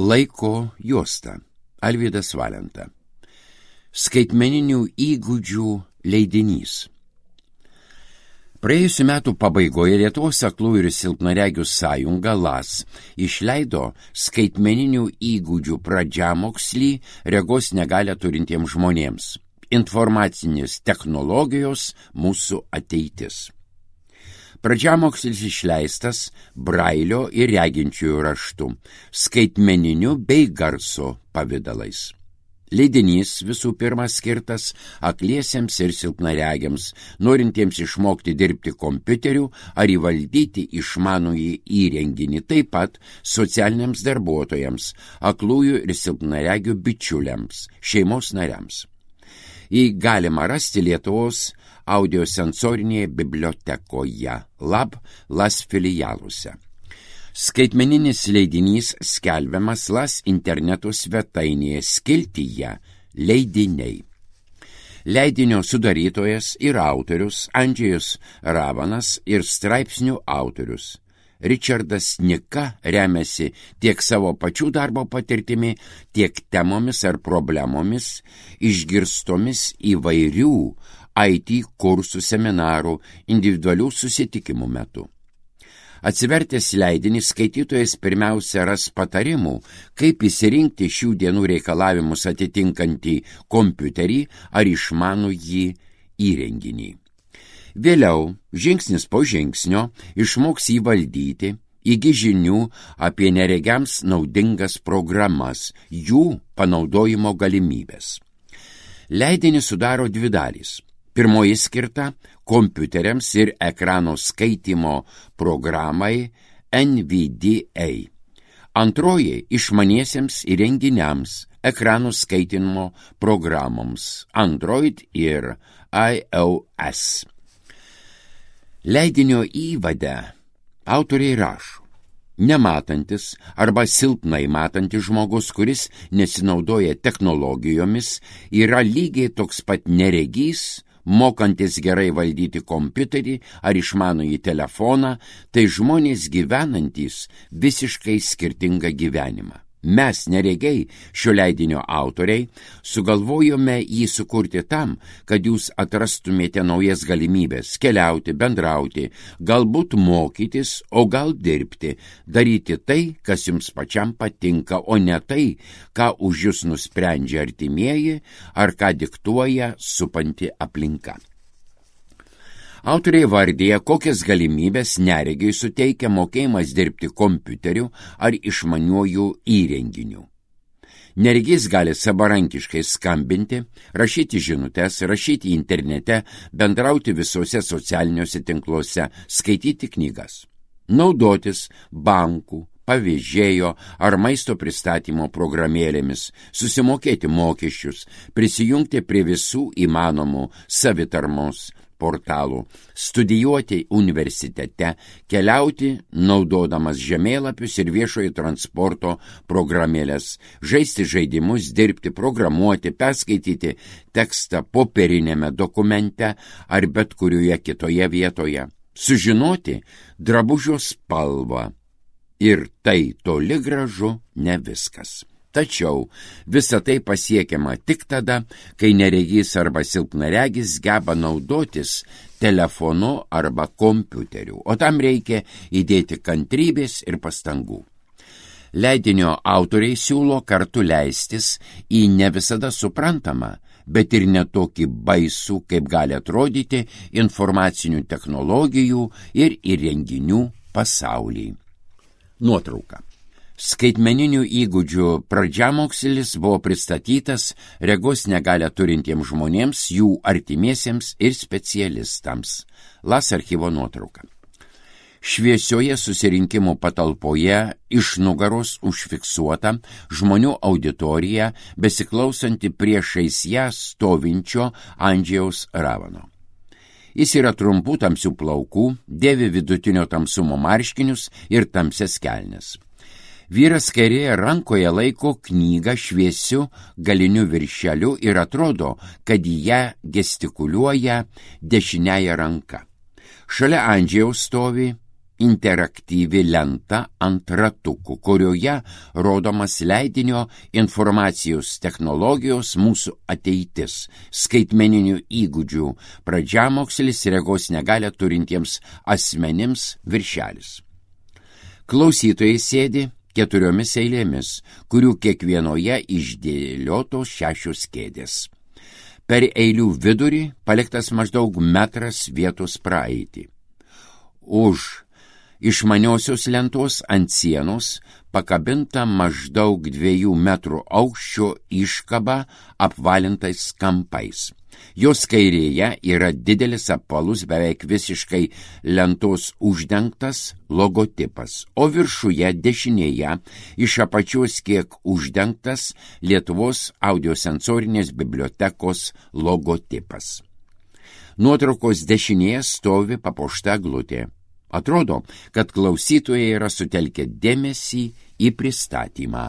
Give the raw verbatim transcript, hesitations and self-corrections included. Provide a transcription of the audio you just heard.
Laiko juosta. Alvydas Valenta. Skaitmeninių įgūdžių leidinys. Praėjusiu metų pabaigoje Lietuvos aklųjų ir silpnaregių sąjunga L A S išleido skaitmeninių įgūdžių pradžiamokslį regos negalią turintiems žmonėms. Informacinės technologijos mūsų ateitis. Pradžiamokslis išleistas brailio ir reginčiųjų raštu, skaitmeniniu bei garso pavidalais. Leidinys visų pirma skirtas akliesiems ir silpnaregiams, norintiems išmokti dirbti kompiuteriu ar įvaldyti išmanųjį įrenginį, taip pat socialiniams darbuotojams, aklųjų ir silpnaregių bičiuliams, šeimos nariams. Jį galima rasti Lietuvos audiosensorinėje bibliotekoje Lab L A S filialuose. Skaitmeninis leidinys skelbiamas L A S interneto svetainėje skiltyje Leidiniai. Leidinio sudarytojas ir autorius Andžejus Ravanas ir straipsnių autorius Ričardas Nika remiasi tiek savo pačių darbo patirtimi, tiek temomis ar problemomis išgirstomis įvairių I T kursų, seminarų, individualių susitikimų metu. Atsivertęs leidinį, skaitytojas pirmiausia ras patarimų, kaip įsirinkti šių dienų reikalavimus atitinkantį kompiuterį ar išmanųjį įrenginį. Vėliau, žingsnis po žingsnio, išmoks jį valdyti, įgis žinių apie neregiams naudingas programas, jų panaudojimo galimybės. Leidinį sudaro dvi dalys. Pirmoji skirta kompiuteriams ir ekrano skaitimo programai N V D A. Antroji išmaniesiems įrenginiams, ekrano skaitimo programoms Android ir iOS. Leidinio įvade autoriai rašo: nematantis arba silpnai matantis žmogus, kuris nesinaudoja technologijomis, yra lygiai toks pat neregys, mokantis gerai valdyti kompiuterį ar išmanųjį telefoną, tai žmonės gyvenantys visiškai skirtingą gyvenimą. Mes, neregiai, šio leidinio autoriai, sugalvojome jį sukurti tam, kad jūs atrastumėte naujas galimybės keliauti, bendrauti, galbūt mokytis, o gal dirbti, daryti tai, kas jums pačiam patinka, o ne tai, ką už jūs nusprendžia artimieji ar ką diktuoja supanti aplinka. Autoriai vardija, kokias galimybės neregiai suteikia mokėjimas dirbti kompiuteriu ar išmaniuoju įrenginiu. Neregys gali savarankiškai skambinti, rašyti žinutes, rašyti internete, bendrauti visuose socialiniuose tinkluose, skaityti knygas, naudotis bankų, pavėžėjo ar maisto pristatymo programėlėmis, susimokėti mokesčius, prisijungti prie visų įmanomų savitarmos portalų, studijuoti universitete, keliauti naudodamas žemėlapius ir viešojo transporto programėlės, žaisti žaidimus, dirbti, programuoti, perskaityti tekstą popierinėme dokumente ar bet kurioje kitoje vietoje, sužinoti drabužio spalvą. Ir tai toli gražu ne viskas. Tačiau visa tai pasiekiama tik tada, kai neregys arba silpnaregis geba naudotis telefonu arba kompiuteriu, o tam reikia įdėti kantrybės ir pastangų. Leidinio autoriai siūlo kartu leistis į ne visada suprantamą, bet ir netokį baisų, kaip gali atrodyti, informacinių technologijų ir įrenginių pasaulį. Nuotrauka. Skaitmeninių įgūdžių pradžiamokslis buvo pristatytas regos negalią turintiems žmonėms, jų artimiesiems ir specialistams. L A S archyvo nuotrauka. Šviesioje susirinkimų patalpoje iš nugaros užfiksuota žmonių auditorija, besiklausanti priešais ją stovinčio Andžejaus Ravano. Jis yra trumpų tamsių plaukų, dėvi vidutinio tamsumo marškinius ir tamsias kelnes. Vyras kairėje rankoje laiko knygą šviesiu galiniu viršeliu ir atrodo, kad į ją gestikuliuoja dešiniąja ranka. Šalia Andžejaus stovi interaktyvi lenta ant ratukų, kurioje rodomas leidinio informacijos technologijos mūsų ateitis, skaitmeninių įgūdžių pradžiamokslis regos negalią turintiems asmenims viršelis. Klausytojai sėdi keturiomis eilėmis, kurių kiekvienoje išdėliotos šešios kėdės. Per eilių vidurį paliktas maždaug metras vietos praeitį. Už išmaniosios lentos ant sienos pakabinta maždaug dviejų metrų aukščio iškaba apvalintais kampais. Jos kairėje yra didelis apvalus, beveik visiškai lentos uždengtas logotipas, o viršuje dešinėje iš apačios kiek uždengtas Lietuvos audiosensorinės bibliotekos logotipas. Nuotraukos dešinėje stovi papuošta eglutė. Atrodo, kad klausytojai yra sutelkę dėmesį į pristatymą.